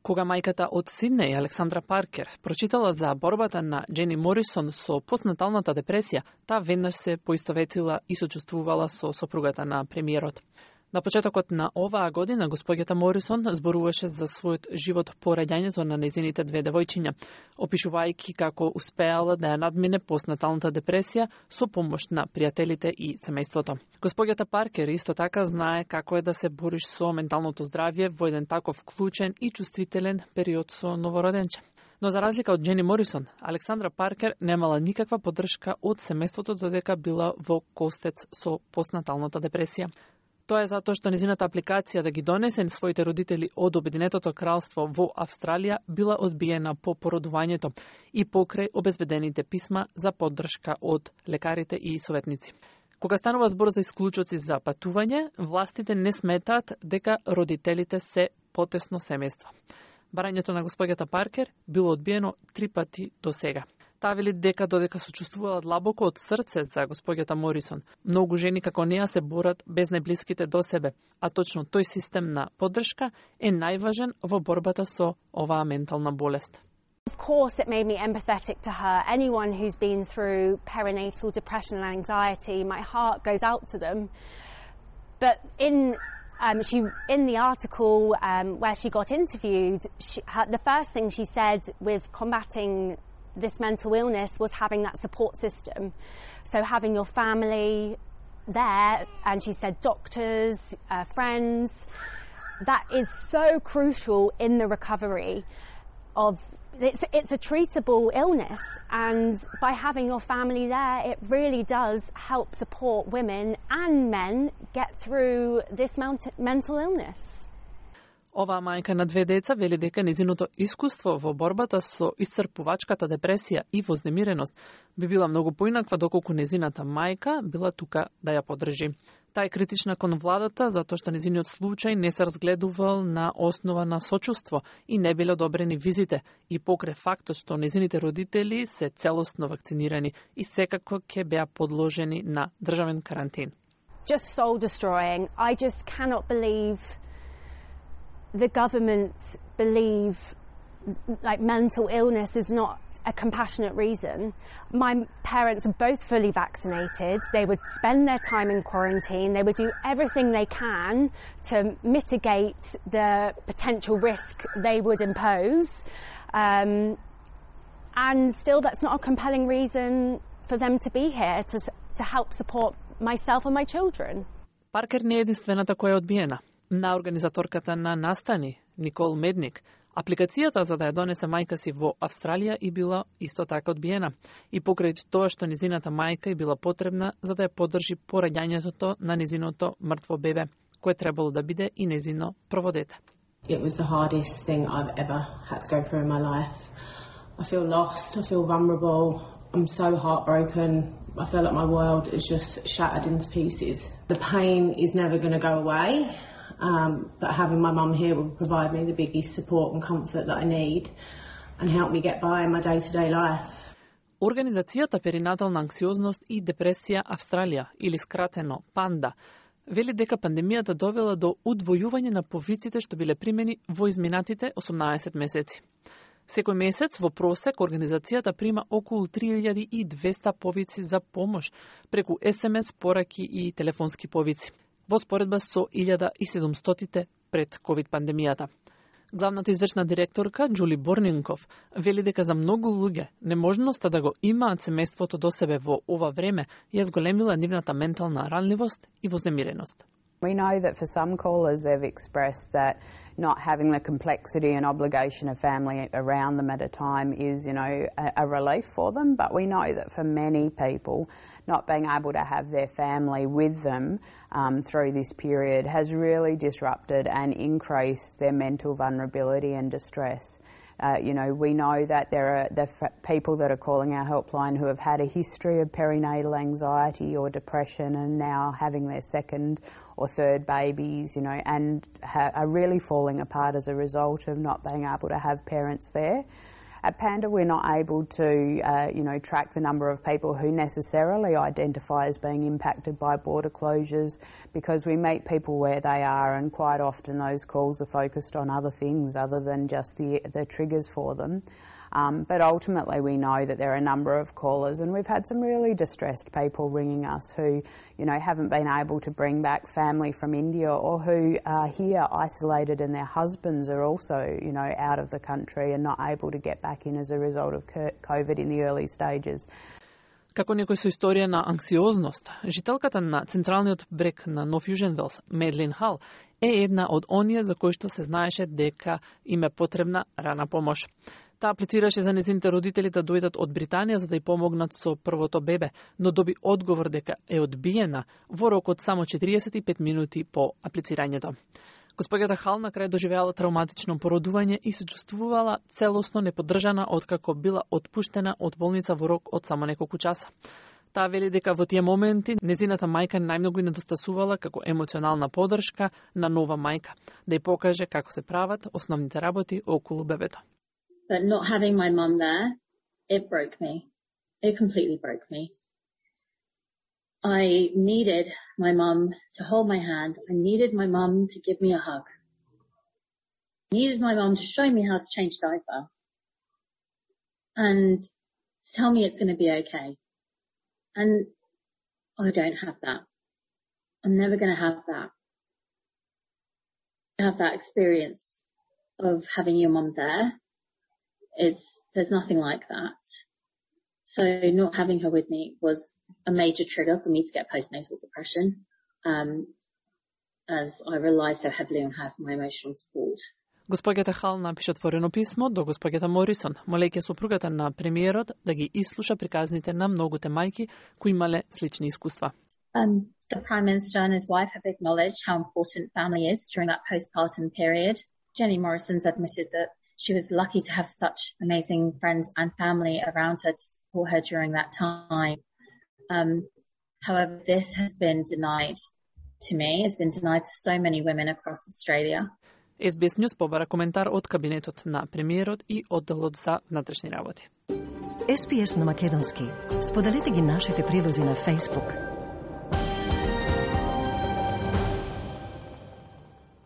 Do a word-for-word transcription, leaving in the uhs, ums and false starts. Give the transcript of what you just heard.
Кога мајката од Сиднеј, Александра Паркер, прочитала за борбата на Джени Морисон со постнаталната депресија, таа веднаш се поистоветила и сочувствувала со сопругата на премиерот. На почетокот на оваа година, господјата Морисон зборуваше за својот живот по раѓањето на нејзините две девојчиња, опишувајќи како успеала да ја надмине постнаталната депресија со помош на пријателите и семејството. Господјата Паркер исто така знае како е да се бориш со менталното здравје во еден таков клучен и чувствителен период со новороденче. Но за разлика од Джени Морисон, Александра Паркер немала никаква поддршка од семејството додека била во костец со постнаталната депресија. Тоа е затоа што незината апликација да ги донесе своите родители од Обединетото кралство во Австралија била одбиена по породувањето и покрај обезбедените писма за поддршка од лекарите и советници. Кога станува збор за исклучоци за патување, властите не сметаат дека родителите се потесно семејство. Барањето на господјата Паркер било одбиено три пати до сега. Таа вели дека додека сочувствувала длабоко од срце за господјата Морисон, многу жени како неа се борат без најблиските до себе, а точно тој систем на поддршка е најважен во борбата со оваа ментална болест. Of course, it made me empathetic to her. Anyone who's been through perinatal depression and anxiety, my heart goes out to them. But in um, she in the article um, where she got interviewed, she, her, the first thing she said with combating this mental illness was having that support system. So having your family there, and she said doctors, uh, friends, that is so crucial in the recovery of, it's, it's a treatable illness, and by having your family there, it really does help support women and men get through this mental illness. Оваа мајка на две деца вели дека незиното искуство во борбата со исцрпувачката депресија и вознемиреност би била многу поинаква доколку незината мајка била тука да ја поддржи. Таа е критична кон владата затоа што незиниот случај не се разгледувал на основа на сочувство и не биле одобрени визите и покрај фактот што незините родители се целосно вакцинирани и секако ќе беа подложени на државен карантин. Just soul destroying. I just cannot believe the government believe like mental illness is not a compassionate reason. My parents are both fully vaccinated. They would spend their time in quarantine. They would do everything they can to mitigate the potential risk they would impose. Um, and still that's not a compelling reason for them to be here, to, to help support myself and my children. Паркер не е единствената која е одбиена. На организаторката на настани, Никол Медник, апликацијата за да ја донесе мајка си во Австралија и била исто така одбиена. И покрај тоа што незината мајка и била потребна за да ја поддржи пораѓањето на незиното мртво бебе, кое требало да биде и незино прво дете. It was the hardest thing I've ever had to go through in my life. I feel lost, I feel vulnerable, I'm so heartbroken. I feel like my world is just shattered into pieces. The pain is never going to go away. Um, but having my mum here will provide me the biggest support and comfort that I need and help me get by in my day-to-day life. Организацијата Перинатална анксиозност и депресија Австралија, или скратено ПАНДА, вели дека пандемијата довела до удвојување на повиците што биле примени во изминатите осумнаесет месеци. Секој месец во просек организацијата прима околу три илјади и двесте повици за помош преку ес ем ес, пораки и телефонски повици, во споредба со илјада и седумстотите пред ковид пандемијата. Главната извршна директорка Џули Борнинков вели дека за многу луѓе неможноста да го имаат семејството до себе во ова време ја зголемила нивната ментална ранливост и вознемиреност. We know that for some callers they've expressed that not having the complexity and obligation of family around them at a time is, you know, a, a relief for them. But we know that for many people, not being able to have their family with them um, through this period has really disrupted and increased their mental vulnerability and distress. Uh, you know, we know that there are the f people that are calling our helpline who have had a history of perinatal anxiety or depression and now having their second or third babies, you know, and ha are really falling apart as a result of not being able to have parents there. At Panda, we're not able to, uh, you know, track the number of people who necessarily identify as being impacted by border closures because we meet people where they are, and quite often those calls are focused on other things other than just the, the triggers for them. Um, but ultimately we know that there are a number of callers, and we've had some really distressed people ringing us who, you know, haven't been able to bring back family from India, or who are here isolated and their husbands are also, you know, out of the country and not able to get back in as a result of COVID in the early stages. Како некој со историја на анксиозност, жителката на централниот брег на Нов Јужен Велс, Медлин Хал, е една од оние за кои што се знаеше дека им е потребна рана помош. Таа аплицираше за нејзините родители да дојдат од Британија за да ја помогнат со првото бебе, но доби одговор дека е одбиена во рок од само четириесет и пет минути по аплицирањето. Госпоѓата Хал на крај доживеала травматично породување и се чувствувала целосно неподдржана откако била отпуштена од болница во рок од само неколку часа. Таа вели дека во тие моменти незината мајка најмногу и недостасувала како емоционална поддршка на нова мајка, да ја покаже како се прават основните работи околу бебето. But not having my mum there, it broke me. It completely broke me. I needed my mum to hold my hand. I needed my mum to give me a hug. I needed my mum to show me how to change diaper. And tell me it's going to be okay. And I don't have that. I'm never going to have that. Have that experience of having your mum there. It's, there's nothing like that. So not having her with me was a major trigger for me to get postnatal depression, um, as I rely so heavily on her for my emotional support. Госпоѓата Хал напиша отворено писмо до госпоѓата Морисон, молејќи сопругата на премиерот да ги ислуша приказните на многуте мајки кои имале слични искуства. Um, the Prime Minister and his wife have acknowledged how important family is during that postpartum period. Jenny Morrison's admitted that she was lucky to have such amazing friends and family around her to support her during that time. Um, however, this has been denied to me, has been denied to so many women across Australia. Ес Би Ес News побара коментар од кабинетот на премиерот и одделот за внатрешни работи. Ес Би Ес на македонски. Споделете ги нашите прилози на Facebook,